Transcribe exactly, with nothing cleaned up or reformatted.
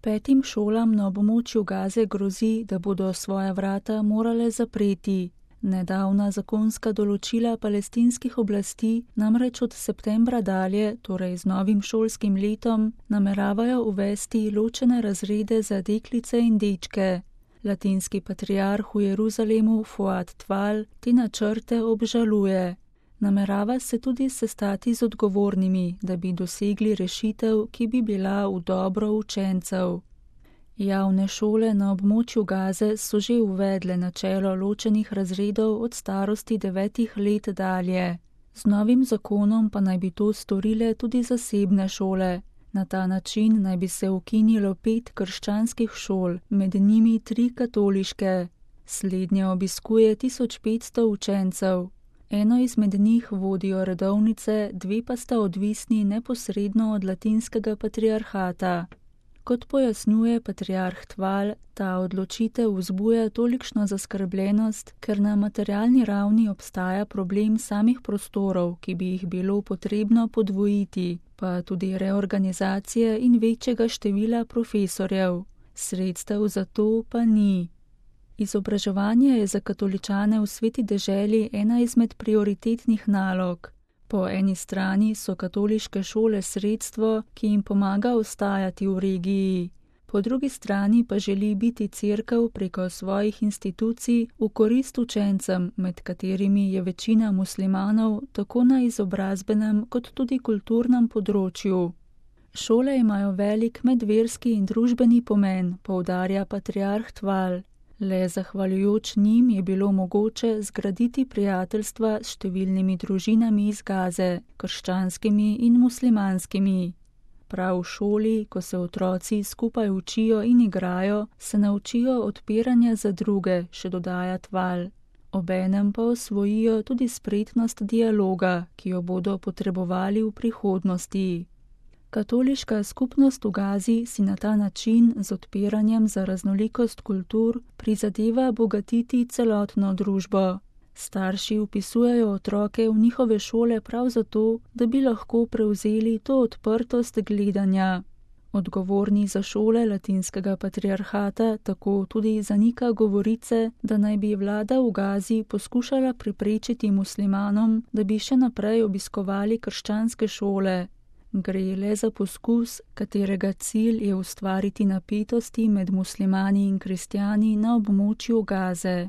Petim šolam na območju Gaze grozi, da bodo svoja vrata morale zapreti. Nedavna zakonska določila palestinskih oblasti namreč od septembra dalje, torej z novim šolskim letom, nameravajo uvesti ločene razrede za deklice in dečke. Latinski patriarh v Jeruzalemu Fuad Tval te načrte obžaluje. Namerava se tudi sestati z odgovornimi, da bi dosegli rešitev, ki bi bila v dobro učencev. Javne šole na območju Gaze so že uvedle načelo ločenih razredov od starosti devetih let dalje. Z novim zakonom pa naj bi to storile tudi zasebne šole. Na ta način naj bi se ukinilo pet krščanskih šol, med njimi tri katoliške. Slednje obiskuje tisoč petsto učencev. Eno izmed njih vodijo redovnice, dve pa sta odvisni neposredno od latinskega patriarhata. Kot pojasnjuje patriarh Tval, ta odločitev vzbuja tolikšno zaskrbljenost, ker na materialni ravni obstaja problem samih prostorov, ki bi jih bilo potrebno podvojiti, pa tudi reorganizacije in večjega števila profesorjev. Sredstev za to pa ni. Izobraževanje je za katoličane v Sveti deželi ena izmed prioritetnih nalog. Po eni strani so katoliške šole sredstvo, ki jim pomaga ostajati v regiji. Po drugi strani pa želi biti cerkev preko svojih institucij v korist učencem, med katerimi je večina muslimanov tako na izobrazbenem kot tudi kulturnem področju. Šole imajo velik medverski in družbeni pomen, poudarja patriarh Tval. Le zahvaljujoč njim je bilo mogoče zgraditi prijateljstva s številnimi družinami iz Gaze, krščanskimi in muslimanskimi. Prav v šoli, ko se otroci skupaj učijo in igrajo, se naučijo odpiranja za druge, še dodaja Tval. Obenem pa osvojijo tudi spretnost dialoga, ki jo bodo potrebovali v prihodnosti. Katoliška skupnost v Gazi si na ta način z odpiranjem za raznolikost kultur prizadeva bogatiti celotno družbo. Starši vpisujejo otroke v njihove šole prav zato, da bi lahko prevzeli to odprtost gledanja. Odgovorni za šole latinskega patriarhata tako tudi zanika govorice, da naj bi vlada v Gazi poskušala preprečiti muslimanom, da bi še naprej obiskovali krščanske šole. Gre le za poskus, katerega cilj je ustvariti napetosti med muslimani in kristjani na območju Gaze.